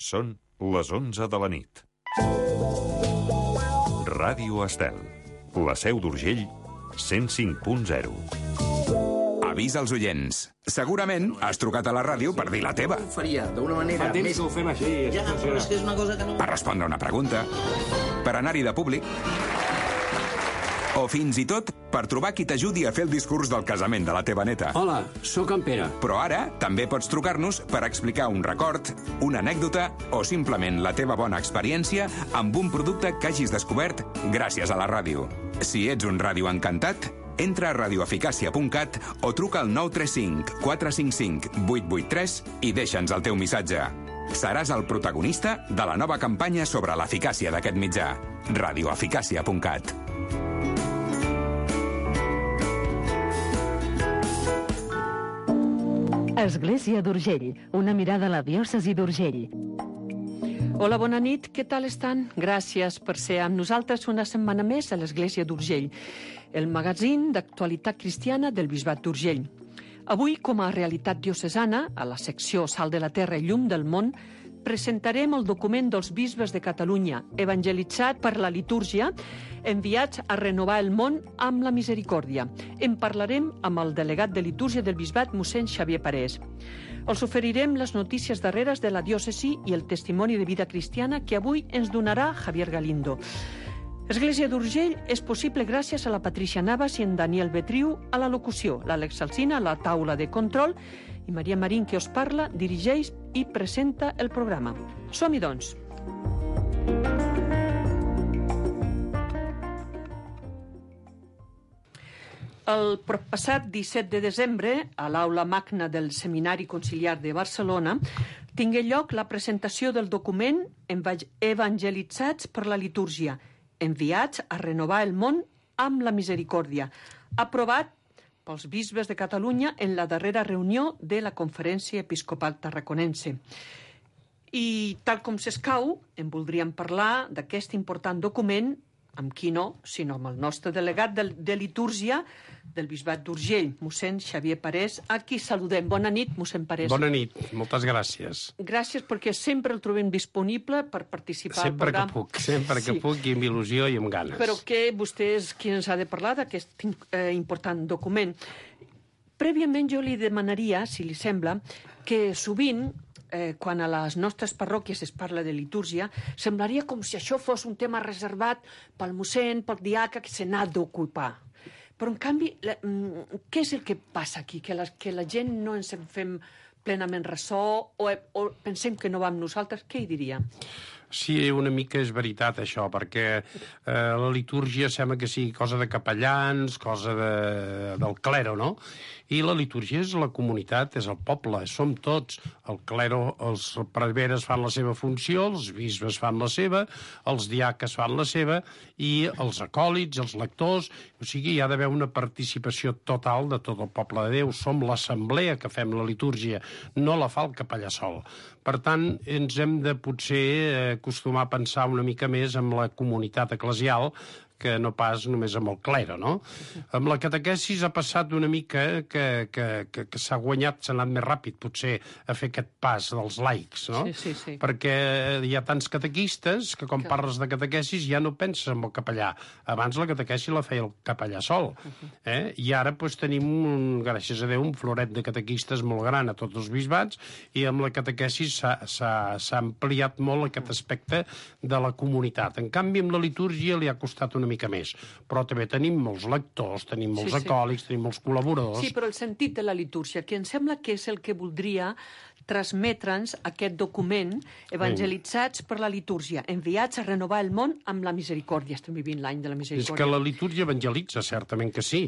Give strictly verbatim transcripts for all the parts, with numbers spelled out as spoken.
Són les onze de la nit. Ràdio Estel. La Seu d'Urgell, cent cinc punt zero. Avís als oients. Segurament has trucat a la ràdio per dir la teva. Ho faria d'una manera Fa temps més... que ho fem així. Ja, però és que és una cosa que no... Per respondre una pregunta. Per anar-hi de públic. O fins i tot per trobar qui t'ajudi a fer el discurs del casament de la teva neta. Hola, sóc en Pere. Però ara també pots trucar-nos per explicar un record, una anècdota o simplement la teva bona experiència amb un producte que hagis descobert gràcies a la ràdio. Si ets un ràdio encantat, entra a radioeficàcia punt cat o truca al nou tres cinc quatre cinc cinc vuit vuit tres i deixa'ns el teu missatge. Seràs el protagonista de la nova campanya sobre l'eficàcia d'aquest mitjà. radioeficàcia punt cat. Església d'Urgell, una mirada a la diòcesi d'Urgell. Hola, bona nit, què tal estan? Gràcies per ser amb nosaltres una setmana més a l'Església d'Urgell, el magazín d'actualitat cristiana del Bisbat d'Urgell. Avui, com a realitat diocesana, a la secció Sal de la Terra i Llum del Món, presentarem el document dels bisbes de Catalunya, evangelitzat per la litúrgia, enviats a renovar el món amb la misericòrdia. En parlarem amb el delegat de litúrgia del bisbat, mossèn Xavier Parés. Els oferirem les notícies darreres de la diòcesi i el testimoni de vida cristiana que avui ens donarà Javier Galindo. Església d'Urgell és possible gràcies a la Patricia Navas i en Daniel Betriu a la locució, l'Àlex Alsina a la taula de control i Maria Marín, que us parla, dirigeix i presenta el programa. Som-hi, doncs. El passat disset de desembre, a l'aula magna del Seminari Conciliar de Barcelona, tingué lloc la presentació del document Evangelitzats per la litúrgia, enviats a renovar el món amb la misericòrdia, aprovat pels bisbes de Catalunya en la darrera reunió de la Conferència Episcopal Tarraconense. I, tal com s'escau, en voldríem parlar d'aquest important document, amb qui no, sinó amb el nostre delegat de, de litúrgia del Bisbat d'Urgell, mossèn Xavier Parés, a qui saludem. Bona nit, mossèn Parés. Bona nit, moltes gràcies. Gràcies perquè sempre el trobem disponible per participar sempre al programa. Que puc, sempre que sí. puc i amb il·lusió i amb ganes. Però que vostè és qui ens ha de parlar d'aquest eh, important document. Prèviament jo li demanaria, si li sembla, que sovint Eh, quan a les nostres parròquies es parla de litúrgia, semblaria com si això fos un tema reservat pel mossèn, pel diaca, que se n'ha d'ocupar. Però, en canvi, la, què és el que passa aquí? Que la, que la gent no ens en fem plenament ressò o, o pensem que no va amb nosaltres? Què hi diria? Sí, una mica és veritat, això, perquè eh, la litúrgia sembla que sigui cosa de capellans, cosa de, del clero, no? I la litúrgia és la comunitat, és el poble, som tots. El clero, els preveres fan la seva funció, els bisbes fan la seva, els diaques fan la seva, i els acòlits, els lectors, o sigui, hi ha d'haver una participació total de tot el poble de Déu. Som l'assemblea que fem la litúrgia, no la fa el capellà sol. Per tant, ens hem de potser acostumar a pensar una mica més amb la comunitat eclesial que no pas només amb el clero, no? Amb la catequesis ha passat una mica que, que, que, que s'ha guanyat, s'ha anat més ràpid, potser, a fer aquest pas dels laics, no? Sí, sí, sí. Perquè hi ha tants catequistes que quan que... parles de catequesis ja no penses en el capellà. Abans la catequesi la feia el capellà sol. Eh? I ara doncs, tenim, un, gràcies a Déu, un floret de catequistes molt gran a tots els bisbats i amb la catequesis s'ha ampliat molt aquest aspecte de la comunitat. En canvi, amb la litúrgia li ha costat una mica més, però també tenim molts lectors, tenim molts sí, sí. acòlics, tenim molts col·laboradors. Sí, però el sentit de la litúrgia, que em sembla que és el que voldria transmetre'ns aquest document evangelitzats per la litúrgia, enviats a renovar el món amb la misericòrdia. Estem vivint l'any de la misericòrdia. És que la litúrgia evangelitza, certament que sí.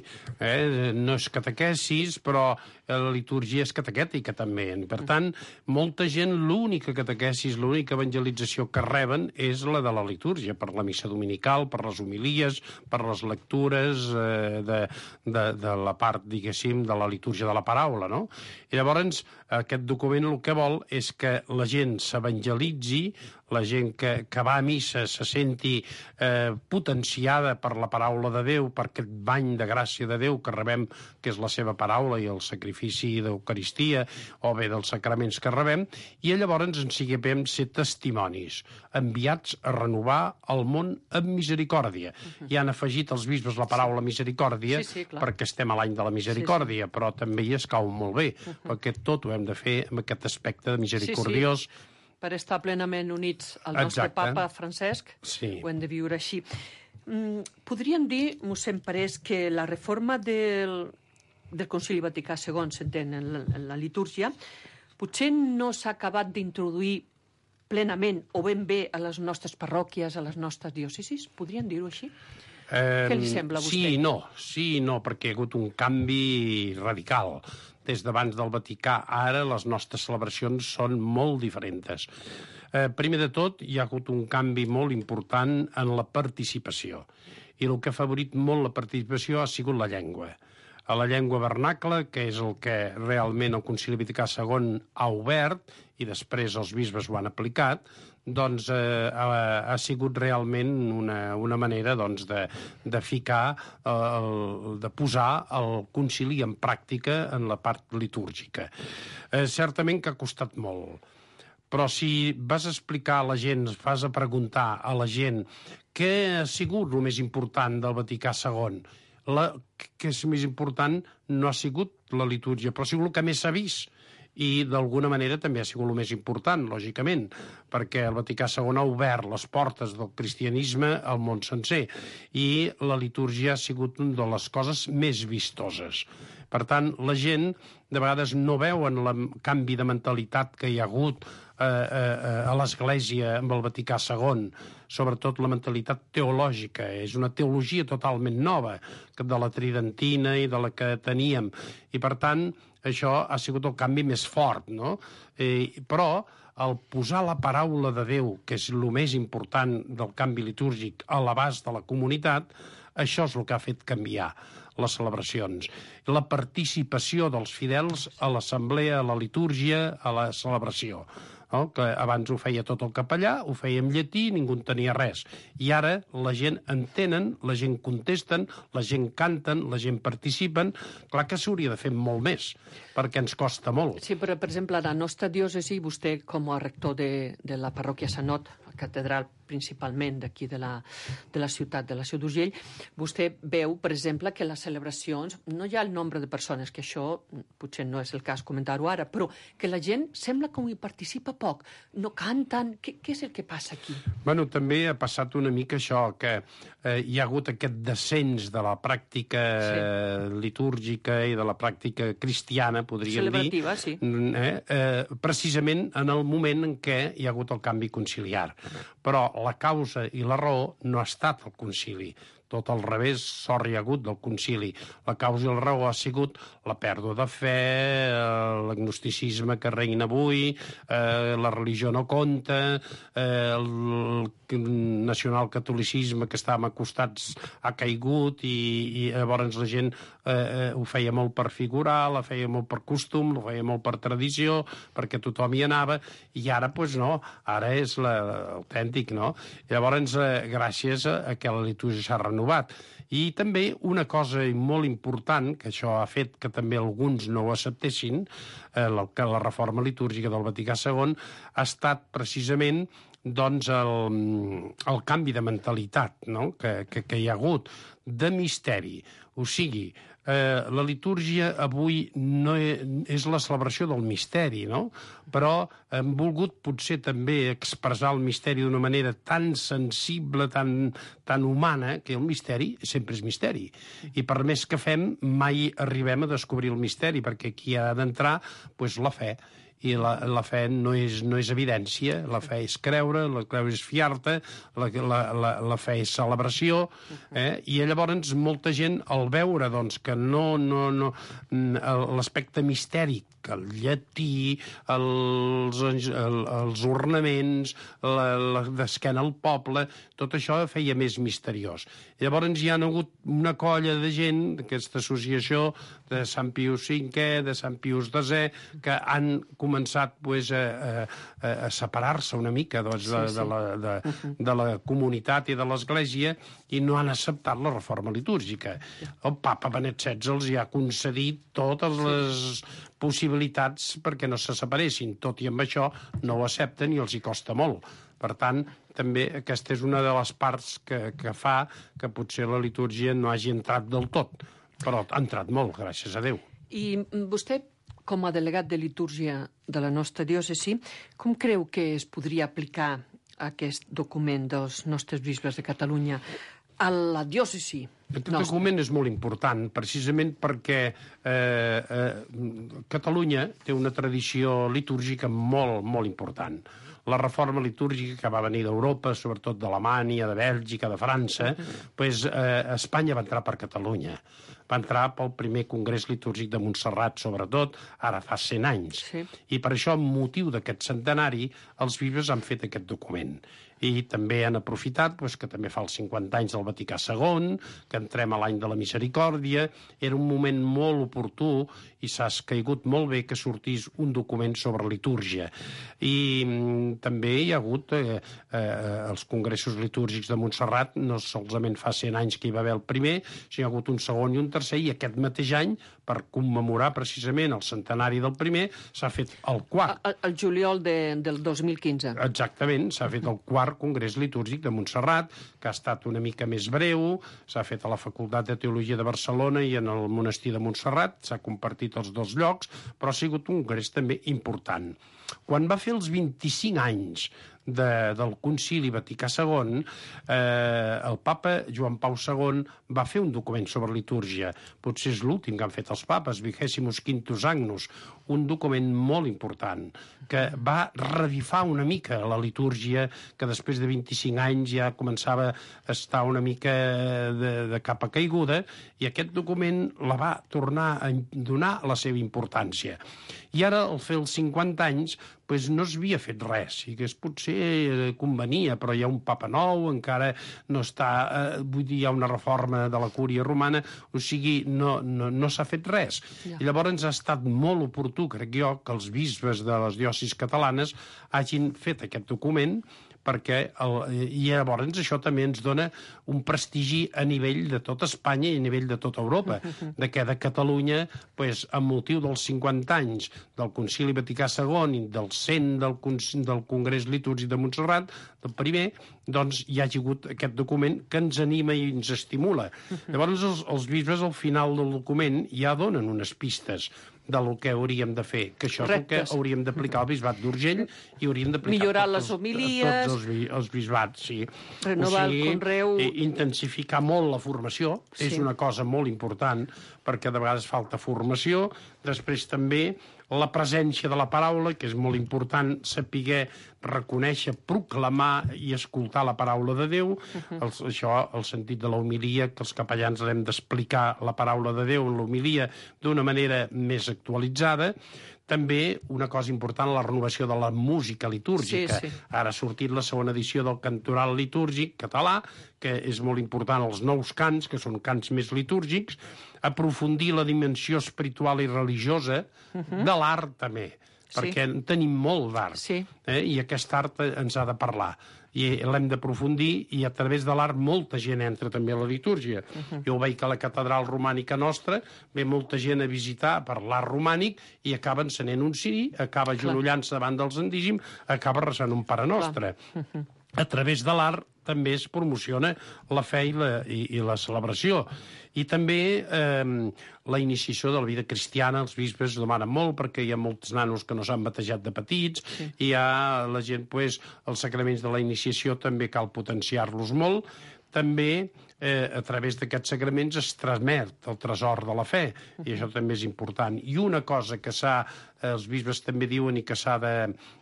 Eh? No és catequesis, però la litúrgia és catequètica també. Per tant, molta gent, l'única catequesis, l'única evangelització que reben és la de la litúrgia, per la missa dominical, per les homilies, per les lectures eh, de, de, de la part, diguéssim, de la litúrgia de la paraula, no? I llavors, aquest document gent el que vol és que la gent s'evangelitzi, la gent que, que va a missa se senti eh, potenciada per la paraula de Déu, per aquest bany de gràcia de Déu que rebem, que és la seva paraula i el sacrifici d'Eucaristia, o bé dels sacraments que rebem, i llavors ens siguem ser testimonis, enviats a renovar el món amb misericòrdia. Uh-huh. I han afegit els bisbes la paraula misericòrdia, sí, sí, perquè estem a l'any de la misericòrdia, sí, sí. Però també hi escau molt bé, uh-huh. perquè tot ho hem de fer amb aquest aspecte de misericordiós. Sí, sí. Per estar plenament units al nostre Exacte. papa Francesc, sí. Ho hem de viure així. Mm, podríem dir, mossèn Parés, que la reforma del, del Concili Vaticà segon, s'entén, en, la, en la litúrgia, potser no s'ha acabat d'introduir plenament o ben bé a les nostres parròquies, a les nostres diòcesis? Podríem dir-ho així? Eh, Què li sembla a vostè? Sí i no, sí i no, perquè hi ha hagut un canvi radical. Des d'abans del Vaticà, ara les nostres celebracions són molt diferents. Eh, primer de tot, hi ha hagut un canvi molt important en la participació. I el que ha favorit molt la participació ha sigut la llengua. A la llengua vernacla, que és el que realment el Concili Vaticà segon ha obert, i després els bisbes ho han aplicat, doncs eh, ha, ha sigut realment una, una manera doncs, de, de ficar, eh, el, de posar el concili en pràctica en la part litúrgica. Eh, certament que ha costat molt, però si vas a explicar a la gent, vas a preguntar a la gent què ha sigut el més important del Vaticà segon, la, que és més important no ha sigut la litúrgia, però ha sigut el que més s'ha vist. I d'alguna manera també ha sigut el més important, lògicament, perquè el Vaticà segon ha obert les portes del cristianisme al món sencer i la litúrgia ha sigut una de les coses més vistoses. Per tant, la gent de vegades no veuen el canvi de mentalitat que hi ha hagut eh, eh, a l'Església amb el Vaticà segon, sobretot la mentalitat teològica. És una teologia totalment nova de la tridentina i de la que teníem. I, per tant, això ha sigut el canvi més fort, no? Eh, però el posar la paraula de Déu, que és el més important del canvi litúrgic, a l'abast de la comunitat, això és el que ha fet canviar les celebracions. La participació dels fidels a l'assemblea, a la litúrgia, a la celebració. No? Que abans ho feia tot el capellà, ho feia en llatí, ningú en tenia res. I ara la gent entenen, la gent contesten, la gent canten, la gent participen. Clar que s'hauria de fer molt més, perquè ens costa molt. Sí, però, per exemple, a la nostra diòcesi, vostè, com a rector de, de la parròquia Sanot, catedral principalment d'aquí de, la, de la ciutat, de la Seu d'Urgell, vostè veu, per exemple, que les celebracions, no hi ha el nombre de persones, que això potser no és el cas comentar-ho ara, però que la gent sembla com hi participa poc, no canten. Què, què és el que passa aquí? Bueno, també ha passat una mica això, que eh, hi ha hagut aquest descens de la pràctica sí. litúrgica i de la pràctica cristiana, podríem celebrativa, dir, sí. eh, eh, precisament en el moment en què hi ha hagut el canvi conciliar. Però la causa i la raó no ha estat el concili. Tot al revés, sort hi ha hagut del concili. La causa i la raó ha sigut la pèrdua de fe, l'agnosticisme que reina avui, eh, la religió no compta, eh, el nacionalcatolicisme que estàvem acostats ha caigut i, i llavors la gent eh, ho feia molt per figurar, la feia molt per costum, la feia molt per tradició, perquè tothom hi anava, i ara, doncs no, ara és l'autèntic, no? Llavors, eh, gràcies a, a que la litúrgia s'ha renovat. I també una cosa molt important, que això ha fet que també alguns no ho acceptessin, eh, la, que la reforma litúrgica del Vaticà segon ha estat precisament doncs el, el canvi de mentalitat, no? que, que, que hi ha hagut, de misteri. O sigui, eh, la litúrgia avui no és la celebració del misteri, no? Però hem volgut potser també expressar el misteri d'una manera tan sensible, tan, tan humana, que el misteri sempre és misteri. I per més que fem, mai arribem a descobrir el misteri, perquè aquí ha d'entrar doncs, la fe. I la, la fe no és, no és evidència, la fe és creure, la creure és fiar-te, la, la, la, la fe és celebració, eh? I llavors molta gent, al veure doncs, que no, no, no, l'aspecte mistèric, el llatí, els, el, els ornaments, la, la d'esquena al poble, tot això feia més misteriós. Llavors hi ha hagut una colla de gent, d'aquesta associació de Sant Pius cinquè, de Sant Pius desè, que han començat començat pues, a, a, a separar-se una mica doncs, de, sí, sí. De, la, de, uh-huh. de la comunitat i de l'Església i no han acceptat la reforma litúrgica. El papa Benet setze els hi ha concedit totes les possibilitats perquè no se separessin. Tot i amb això no ho accepten i els hi costa molt. Per tant, també aquesta és una de les parts que, que fa que potser la litúrgia no hagi entrat del tot, però ha entrat molt, gràcies a Déu. I vostè, com a delegat de litúrgia de la nostra diòcesi, com creu que es podria aplicar aquest document dels nostres bisbes de Catalunya a la diòcesi? Aquest document és molt important, precisament perquè eh, eh, Catalunya té una tradició litúrgica molt, molt important. La reforma litúrgica que va venir d'Europa, sobretot d'Alemanya, de Bèlgica, de França, pues, eh, Espanya va entrar per Catalunya. Va entrar pel primer congrés litúrgic de Montserrat, sobretot, ara fa cent anys. Sí. I per això, amb motiu d'aquest centenari, els bisbes han fet aquest document. I també han aprofitat pues, que també fa els cinquanta anys del Vaticà segon, que entrem a l'any de la Misericòrdia. Era un moment molt oportú i s'ha caigut molt bé que sortís un document sobre litúrgia. I mm, també hi ha hagut eh, eh, els congressos litúrgics de Montserrat, no solament fa cent anys que hi va haver el primer, sinó hi ha hagut un segon i un tercer, i aquest mateix any, per commemorar precisament el centenari del primer, s'ha fet el quart. El, el juliol de, del dos mil quinze. Exactament, s'ha fet el quart Congrés Litúrgic de Montserrat, que ha estat una mica més breu, s'ha fet a la Facultat de Teologia de Barcelona i en el Monestir de Montserrat, s'ha compartit els dos llocs, però ha sigut un congrés també important. Quan va fer els vint-i-cinc anys de, del Concili Vaticà segon, eh, el papa Joan Pau segon va fer un document sobre litúrgia. Potser és l'últim que han fet els papes, Vigesimus Quintus Agnus, un document molt important, que va revifar una mica la litúrgia, que després de vint-i-cinc anys ja començava a estar una mica de, de capa caiguda, i aquest document la va tornar a donar la seva importància. I ara, al fer els cinquanta anys, pues no s'havia fet res, i que potser convenia, però hi ha un papa nou, encara no està, eh, vull dir, hi ha una reforma de la cúria romana, o sigui, no, no, no s'ha fet res. Ja. I llavors ha estat molt oportú, crec jo, que els bisbes de les diòcesis catalanes hagin fet aquest document, perquè el, i llavors això també ens dona un prestigi a nivell de tot Espanya i a nivell de tota Europa, de que de Catalunya, pues, amb motiu dels cinquanta anys del Concili Vaticà segon i del cent del, del Congrés Litúrgic de Montserrat, del primer, doncs hi ha hagut aquest document que ens anima i ens estimula. Llavors els, els bisbes al final del document ja donen unes pistes del que hauríem de fer, que això Rectes. És el que hauríem d'aplicar al bisbat d'Urgell i hauríem d'aplicar millorar tots, les homilies, tots els, els bisbats, sí. Renovar o sigui, el conreu, intensificar molt la formació, sí. És una cosa molt important, perquè de vegades falta formació. Després també la presència de la paraula, que és molt important saber reconèixer, proclamar i escoltar la paraula de Déu. Uh-huh. el, això, el sentit de la homilia, que els capellans hem d'explicar la paraula de Déu en l'homilia d'una manera més actualitzada. També una cosa important, la renovació de la música litúrgica. Sí, sí. Ara ha sortit la segona edició del Cantoral Litúrgic català, que és molt important, els nous cants, que són cants més litúrgics, aprofundir la dimensió espiritual i religiosa uh-huh. de l'art també, perquè sí. Tenim molt d'art, sí. eh? I aquest art ens ha de parlar. I l'hem d'aprofundir, i a través de l'art molta gent entra també a la litúrgia. Uh-huh. Jo veig que a la catedral romànica nostra ve molta gent a visitar per l'art romànic i acaba encenent un ciri, acaba agenollant-se davant del Santíssim, acaba resant un Pare Nostre. Uh-huh. A través de l'art també es promociona la fe i la, i, i la celebració. I també eh, la iniciació de la vida cristiana, els bisbes demanen molt, perquè hi ha molts nanos que no s'han batejat de petits, sí. I hi ha la gent, pues, els sacraments de la iniciació també cal potenciar-los molt. També, eh, a través d'aquests sacraments es transmet el tresor de la fe, i això també és important. I una cosa que s'ha, els bisbes també diuen i que s'ha de,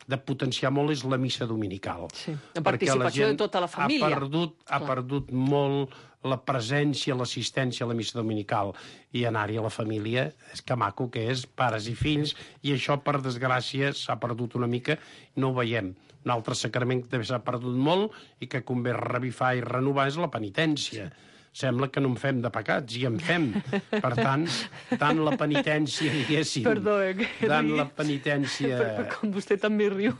de potenciar molt és la missa dominical. Sí. La participació la de tota la família. Ha perdut, ha perdut molt la presència, l'assistència a la missa dominical, i anar-hi a la família, és que maco que és, pares i fills, i això, per desgràcia, s'ha perdut una mica, no ho veiem. Un altre sacrament que també s'ha perdut molt i que convé revifar i renovar és la penitència. sembla que no en fem de pecats, i en fem. Per tant, tant la penitència, diguéssim... Perdó, eh, que tant rigui. la penitència... Però com vostè també riu.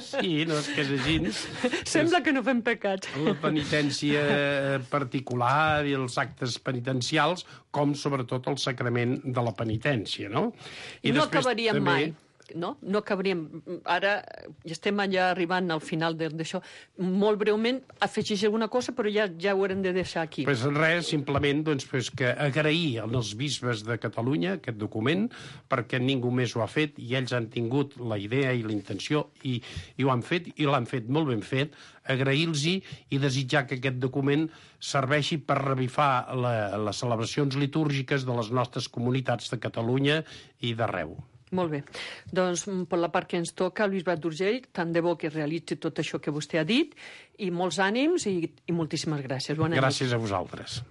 Sí, no és que és així. Sembla que no fem pecats. La penitència particular i els actes penitencials, com sobretot el sacrament de la penitència, no? I no acabaríem també... mai. No? No acabaríem. Ara estem allà arribant al final d'això. Molt breument, afegeix alguna cosa, però ja, ja ho haurem de deixar aquí. Pues res, simplement doncs, pues, que agrair als bisbes de Catalunya aquest document, perquè ningú més ho ha fet, i ells han tingut la idea i la intenció, i, i ho han fet, i l'han fet molt ben fet, agrair-los-hi i desitjar que aquest document serveixi per revifar la, les celebracions litúrgiques de les nostres comunitats de Catalunya i d'arreu. Molt bé. Doncs, per la part que ens toca, el Bisbat d'Urgell, tant de bo que realitzi tot això que vostè ha dit, i molts ànims i, i moltíssimes gràcies. Bona gràcies nit. a vosaltres.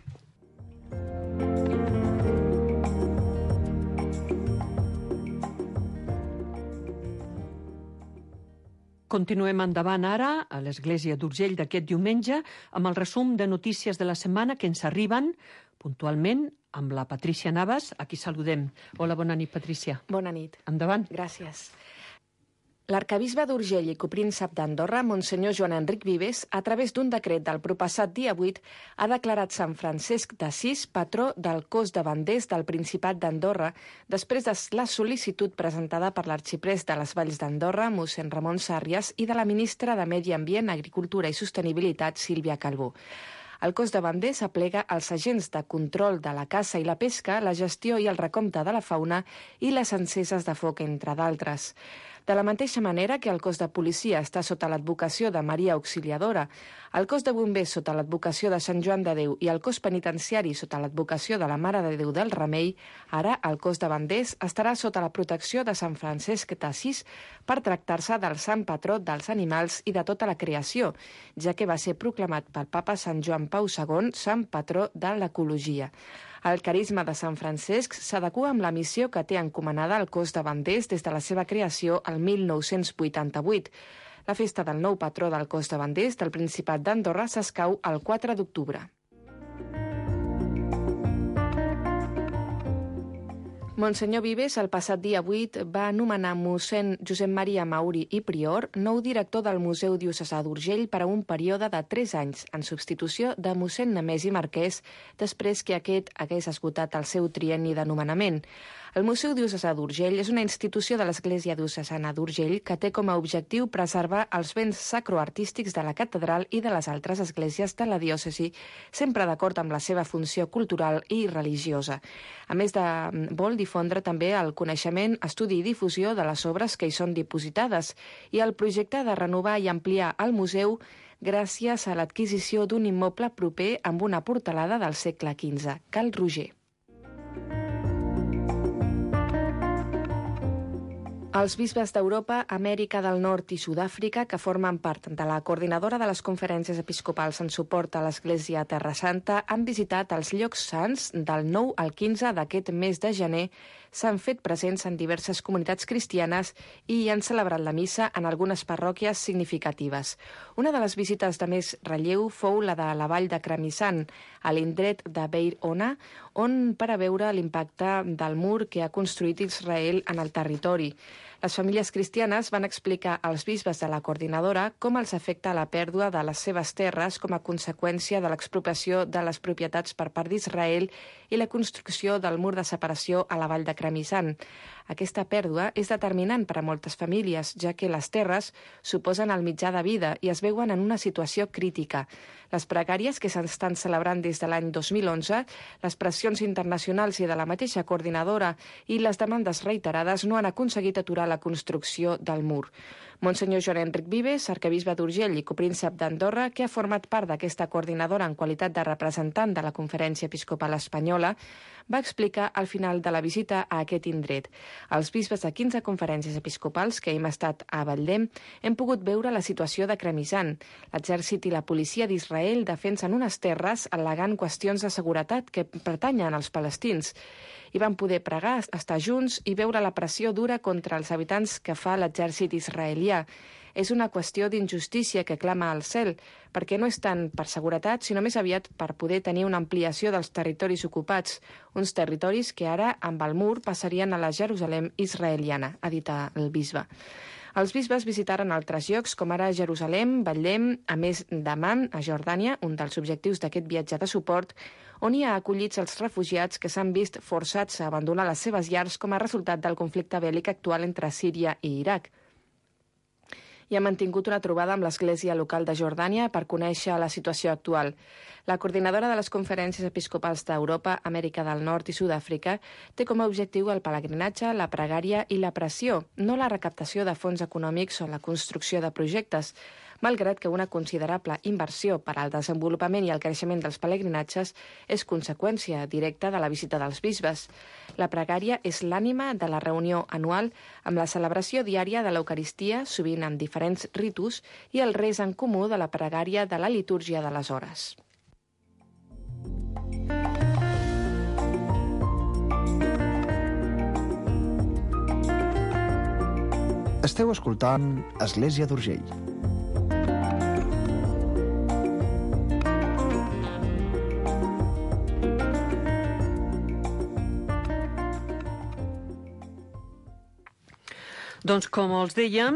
Continuem endavant ara a l'Església d'Urgell d'aquest diumenge amb el resum de notícies de la setmana que ens arriben puntualment amb la Patrícia Navas, a qui saludem. Hola, bona nit, Patrícia. Bona nit. Endavant. Gràcies. L'arcabisbe d'Urgell i copríncep d'Andorra, Monsenyor Joan Enric Vives, a través d'un decret del propassat dia vuit, ha declarat Sant Francesc d'Assís patró del cos de banders del Principat d'Andorra, després de la sol·licitud presentada per l'arxiprés de les Valls d'Andorra, mossèn Ramon Sàrrias, i de la ministra de Medi Ambient, Agricultura i Sostenibilitat, Sílvia Calbó. El cos de banders aplega els agents de control de la caça i la pesca, la gestió i el recompte de la fauna i les enceses de foc, entre d'altres. De la mateixa manera que el cos de policia està sota l'advocació de Maria Auxiliadora, el cos de bombers sota l'advocació de Sant Joan de Déu i el cos penitenciari sota l'advocació de la Mare de Déu del Remei, ara el cos de banders estarà sota la protecció de Sant Francesc d'Assís per tractar-se del sant patró dels animals i de tota la creació, ja que va ser proclamat pel papa Sant Joan Pau segon sant patró de l'ecologia. El carisma de Sant Francesc s'adequa amb la missió que té encomanada el cos de banders des de la seva creació el mil nou-cents vuitanta-vuit. La festa del nou patró del cos de banders del Principat d'Andorra s'escau el quatre d'octubre. Monsenyor Vives, el passat dia vuit, va anomenar mossèn Josep Maria Mauri i Prior nou director del Museu Diocesà d'Urgell per a un període de tres anys, en substitució de mossèn Nemesi Marquès, després que aquest hagués esgotat el seu trienni de nomenament. El Museu Diocesà d'Urgell és una institució de l'Església Diocesana d'Urgell que té com a objectiu preservar els béns sacroartístics de la catedral i de les altres esglésies de la diòcesi, sempre d'acord amb la seva funció cultural i religiosa. A més de vol difondre també el coneixement, estudi i difusió de les obres que hi són dipositades i el projecte de renovar i ampliar el museu gràcies a l'adquisició d'un immoble proper amb una portalada del segle quinze, Cal Roger. Els bisbes d'Europa, Amèrica del Nord i Sud-àfrica, que formen part de la coordinadora de les conferències episcopals en suport a l'Església a Terra Santa, han visitat els llocs sants del nou al quinze d'aquest mes de gener, s'han fet presents en diverses comunitats cristianes i han celebrat la missa en algunes parròquies significatives. Una de les visites de més relleu fou la de la vall de Cramissan, a l'indret de Beir Ona, on per a veure l'impacte del mur que ha construït Israel en el territori. Les famílies cristianes van explicar als bisbes de la coordinadora com els afecta la pèrdua de les seves terres com a conseqüència de l'expropiació de les propietats per part d'Israel i la construcció del mur de separació a la vall de Cramissan. Aquesta pèrdua és determinant per a moltes famílies, ja que les terres suposen el mitjà de vida i es veuen en una situació crítica. Les pregàries que s'estan celebrant des de l'any dos mil onze, les pressions internacionals i de la mateixa coordinadora i les demandes reiterades no han aconseguit aturar la construcció del mur. Monsenyor Joan Enric Vives, arquebisbe d'Urgell i copríncep d'Andorra, que ha format part d'aquesta coordinadora en qualitat de representant de la Conferència Episcopal Espanyola, va explicar al final de la visita a aquest indret. Els bisbes de quinze conferències episcopals que hem estat a Batllem hem pogut veure la situació de Cramissan. L'exèrcit i la policia d'Israel defensen unes terres al·legant qüestions de seguretat que pertanyen als palestins. i van poder pregar, estar junts i veure la pressió dura contra els habitants que fa l'exèrcit israelià. És una qüestió d'injustícia que clama al cel, perquè no és tant per seguretat, sinó més aviat per poder tenir una ampliació dels territoris ocupats, uns territoris que ara, amb el mur, passarien a la Jerusalem israeliana, ha dit el bisbe. Els bisbes visitaren altres llocs, com ara Jerusalem, Betlem, a més d'Amman, a Jordània, un dels objectius d'aquest viatge de suport, on hi ha acollits els refugiats que s'han vist forçats a abandonar les seves llars com a resultat del conflicte bèl·lic actual entre Síria i Iraq. I ha mantingut una trobada amb l'Església local de Jordània per conèixer la situació actual. La coordinadora de les conferències episcopals d'Europa, Amèrica del Nord i Sud-àfrica té com a objectiu el pelegrinatge, la pregària i la pressió, no la recaptació de fons econòmics o la construcció de projectes, malgrat que una considerable inversió per al desenvolupament i el creixement dels pelegrinatges és conseqüència directa de la visita dels bisbes. La pregària és l'ànima de la reunió anual amb la celebració diària de l'Eucaristia, sovint amb diferents ritus, i el res en comú de la pregària de la litúrgia de les hores. Esteu escoltant Església d'Urgell. Doncs com els dèiem,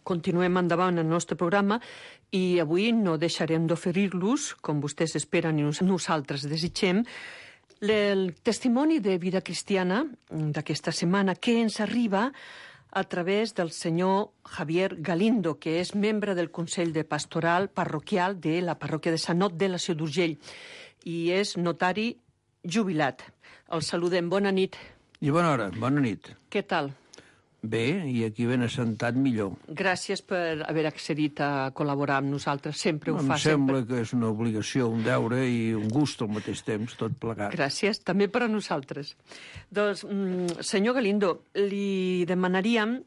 continuem endavant el nostre programa i avui no deixarem d'oferir-los, com vostès esperen i nosaltres desitgem, el testimoni de vida cristiana d'aquesta setmana que ens arriba a través del senyor Javier Galindo, que és membre del Consell de Pastoral Parroquial de la parròquia de Sant Ot de la Seu d'Urgell i és notari jubilat. El saludem. Bona nit. I bona hora. Bona nit. Què tal? Bé, i aquí ben assentat millor. Gràcies per haver accedit a col·laborar amb nosaltres. Sempre ho em fa. Em sembla sempre. que és una obligació, un deure i un gust al mateix temps, tot plegat. Gràcies, també per a nosaltres. Doncs, senyor Galindo, li demanaríem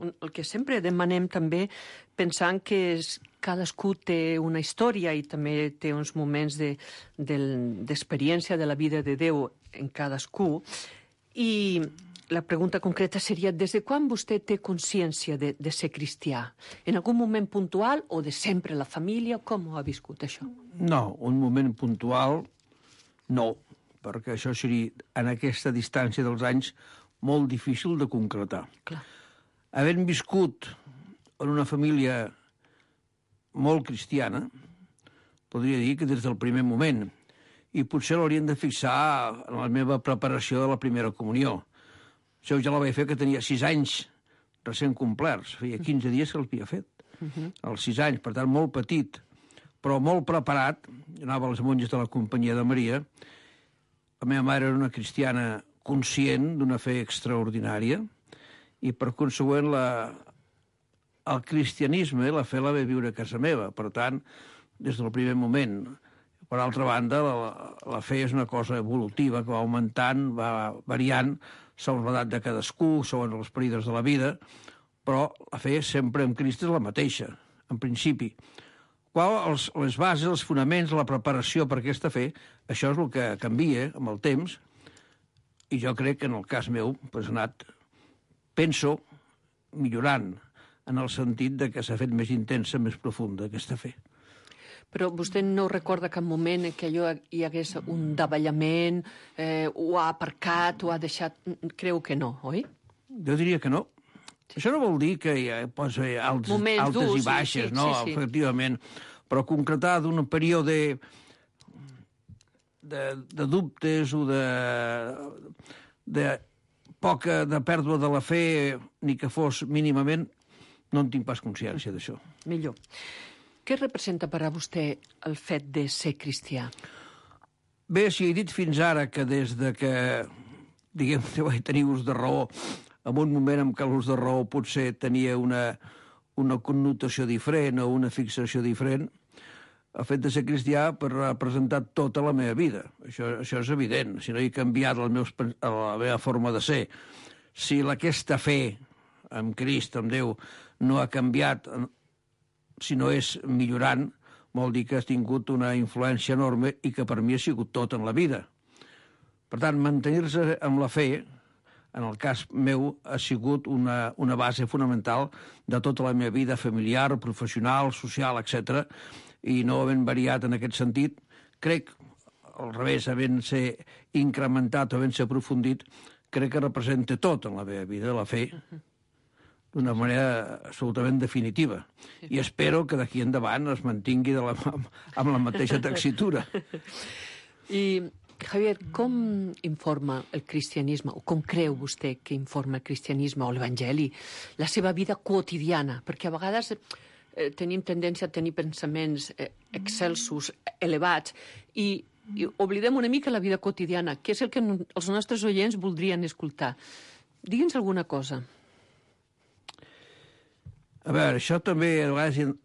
el que sempre demanem també, pensant que és, cadascú té una història i també té uns moments d'experiència de, de, de la vida de Déu en cadascú, i la pregunta concreta seria, des de quan vostè té consciència de, de ser cristià? En algun moment puntual o de sempre la família? Com ho ha viscut, això? No, un moment puntual, no, perquè això seria, en aquesta distància dels anys, molt difícil de concretar. Clar. Havent viscut en una família molt cristiana, podria dir que des del primer moment, i potser l'haurien de fixar en la meva preparació de la primera comunió. Això ja la vaig fer que tenia sis anys recent complerts. Feia quinze dies que l'havia fet. Uh-huh. Als sis anys, per tant, molt petit, però molt preparat. Anava a les monges de la Companyia de Maria. La meva mare era una cristiana conscient d'una fe extraordinària i, per consegüent, la, el cristianisme, la fe la vaig viure a casa meva. Per tant, des del primer moment. Per altra banda, la, la fe és una cosa evolutiva que va augmentant, va variant, segons l'edat de cadascú, segons els períodes de la vida, però la fe sempre en Crist és la mateixa, en principi. Qual els, les bases, els fonaments, la preparació per aquesta fe, això és el que canvia amb el temps, i jo crec que en el cas meu pues, ha anat, penso, millorant, en el sentit de que s'ha fet més intensa, més profunda, aquesta fe. Però vostè no recorda cap moment en què allò hi hagués un davallament, eh, ho ha aparcat, ho ha deixat... Creu que no, oi? Jo diria que no. Sí. Això no vol dir que hi ha pues, alts, altes durs, i baixes, sí, sí, no? Sí, sí. Efectivament. Però concretar d'un període de, de dubtes o de, de poca de pèrdua de la fe, ni que fos mínimament, no en tinc pas consciència d'això. Millor. Què representa per a vostè el fet de ser cristià? Bé, si he dit fins ara que des de que, diguem, vaig tenir ús de raó, en un moment en què l'ús de raó potser tenia una, una connotació diferent o una fixació diferent, el fet de ser cristià ha representat tota la meva vida. Això, això és evident. Si no he canviat el meus, la meva forma de ser, si aquesta fe amb Crist, amb Déu, no ha canviat, si no és millorant, vol dir que has tingut una influència enorme i que per mi ha sigut tot en la vida. Per tant, mantenir-se amb la fe, en el cas meu, ha sigut una, una base fonamental de tota la meva vida familiar, professional, social, etcètera, i no havent variat en aquest sentit, crec, al revés, havent-se incrementat o havent-se aprofundit, crec que representa tot en la meva vida, la fe, d'una manera absolutament definitiva. I espero que d'aquí endavant es mantingui de la, amb la mateixa texitura. I, Javier, com informa el cristianisme, o com creu vostè que informa el cristianisme o l'Evangeli la seva vida quotidiana? Perquè a vegades eh, tenim tendència a tenir pensaments eh, excelsos, elevats, i, i oblidem una mica la vida quotidiana, que és el que els nostres oients voldrien escoltar. Digui'ns alguna cosa. A veure, això també a vegades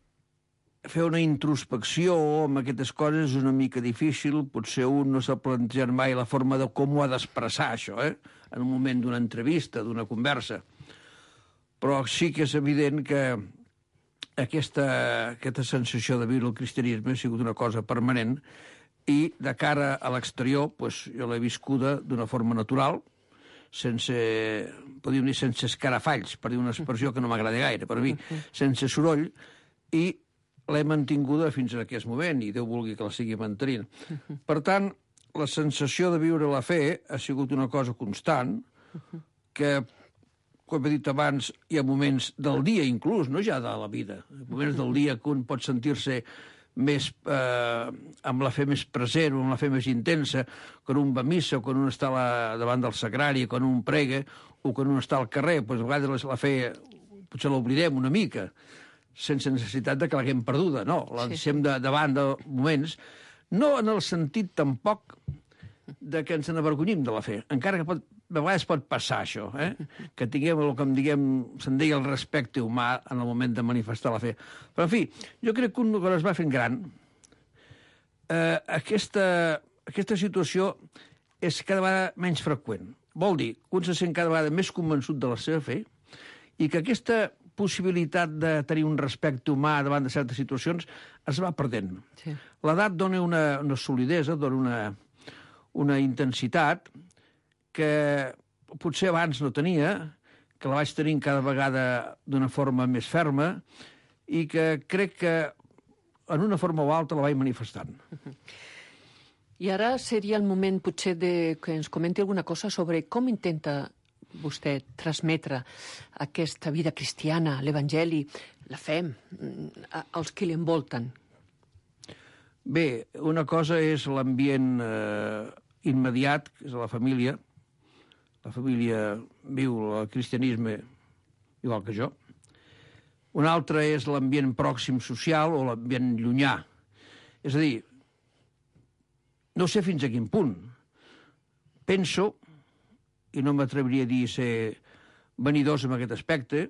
fer una introspecció amb aquestes coses és una mica difícil, potser un no s'ha plantejat mai la forma de com ho ha d'expressar, això, eh? En un moment d'una entrevista, d'una conversa. Però sí que és evident que aquesta, aquesta sensació de viure el cristianisme ha sigut una cosa permanent i de cara a l'exterior, doncs, jo l'he viscuda d'una forma natural, sense, podríem dir, sense escarafalls, per dir una expressió que no m'agrada gaire, per a mi, sense soroll, i l'he mantinguda fins a aquest moment, i Déu vulgui que la sigui mantenint. Per tant, la sensació de viure la fe ha sigut una cosa constant, que, com he dit abans, hi ha moments del dia inclús, no ja de la vida, moments del dia que un pot sentir-se més, eh, amb la fe més present o amb la fe més intensa, quan un va a missa o quan un està la, davant del sagrari, quan un prega o quan un està al carrer, doncs a vegades la fe potser l'oblidem una mica, sense necessitat de que l'haguem perduda, no, la deixem de, davant de moments, no en el sentit tampoc de que ens n'avergonyim de la fe, encara que pot, a vegades pot passar això, eh? Que tinguem el que em diguem, se'n deia el respecte humà en el moment de manifestar la fe. Però, en fi, jo crec que un quan es va fent gran, eh, aquesta, aquesta situació és cada vegada menys freqüent. Vol dir que un se sent cada vegada més convençut de la seva fe i que aquesta possibilitat de tenir un respecte humà davant de certes situacions es va perdent. Sí. L'edat dona una, una solidesa, dona una, una intensitat que potser abans no tenia, que la vaig tenir cada vegada d'una forma més ferma i que crec que en una forma o altra la vaig manifestant. I ara seria el moment potser de que ens comenti alguna cosa sobre com intenta vostè transmetre aquesta vida cristiana, l'Evangeli, la fe, als que l'envolten? Bé, una cosa és l'ambient eh, immediat, que és la família. La família viu el cristianisme igual que jo. Una altra és l'ambient pròxim social o l'ambient llunyà. És a dir, no sé fins a quin punt. Penso, i no m'atreviria a dir ser vanidós en aquest aspecte,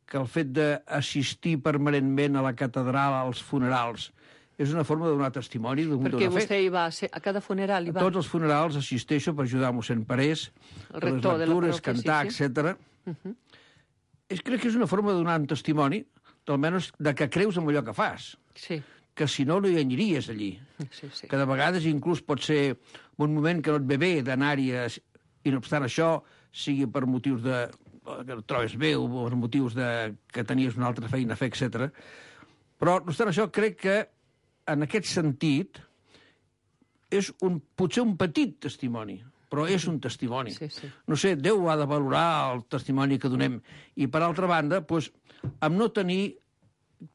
que el fet d'assistir permanentment a la catedral, als funerals, és una forma de donar testimoni d'una fe. Perquè vostè hi va, a cada funeral hi va? A tots els funerals assisteixo per ajudar a mossèn Parés, a les lectures, cantar, sí, sí. etcètera. Uh-huh. És, crec que és una forma de donar un testimoni, almenys de que creus en allò que fas. Sí. Que si no, no hi aniries allí. Sí, sí. Que de vegades inclús pot ser un moment que no et ve bé d'anar-hi, i no obstant això, sigui per motius de que et trobes bé o per motius de que tenies una altra feina a fer, etcètera. Però, no obstant això, crec que en aquest sentit, és un, potser un petit testimoni, però és un testimoni. Sí, sí. No sé, Déu ha de valorar el testimoni que donem. I, per altra banda, doncs, amb no tenir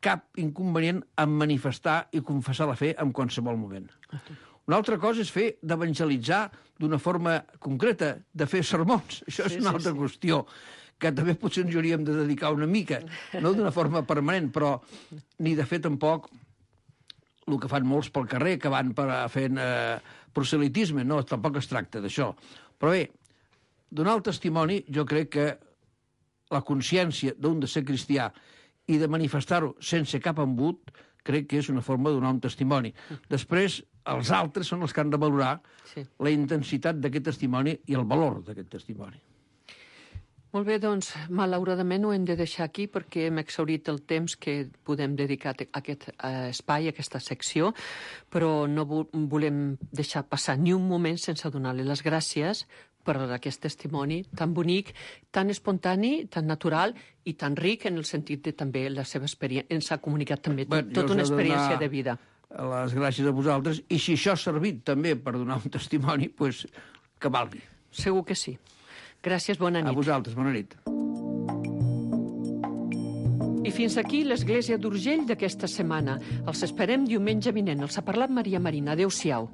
cap inconvenient en manifestar i confessar la fe en qualsevol moment. Una altra cosa és fer d'evangelitzar d'una forma concreta, de fer sermons. Això és sí, una altra sí, qüestió, que també potser ens hauríem de dedicar una mica, no d'una forma permanent, però ni de fer tampoc el que fan molts pel carrer, que van per fent eh, proselitisme, no, tampoc es tracta d'això. Però bé, donar el testimoni, jo crec que la consciència d'un de ser cristià i de manifestar-ho sense cap embut, crec que és una forma de donar un testimoni. Després, els altres són els que han de valorar sí. la intensitat d'aquest testimoni i el valor d'aquest testimoni. Molt bé, doncs, malauradament ho hem de deixar aquí perquè hem exhaurit el temps que podem dedicar a aquest espai, a aquesta secció, però no volem deixar passar ni un moment sense donar-li les gràcies per aquest testimoni tan bonic, tan espontani, tan natural i tan ric en el sentit de també la seva experiència. Ens ha comunicat també tot, tota una experiència de vida. Les gràcies a vosaltres, i si això ha servit també per donar un testimoni, doncs que valgui. Segur que sí. Gràcies, bona nit. A vosaltres, bona nit. I fins aquí l'Església d'Urgell d'aquesta setmana. Els esperem diumenge vinent. Els ha parlat Maria Marina. Adéu-siau.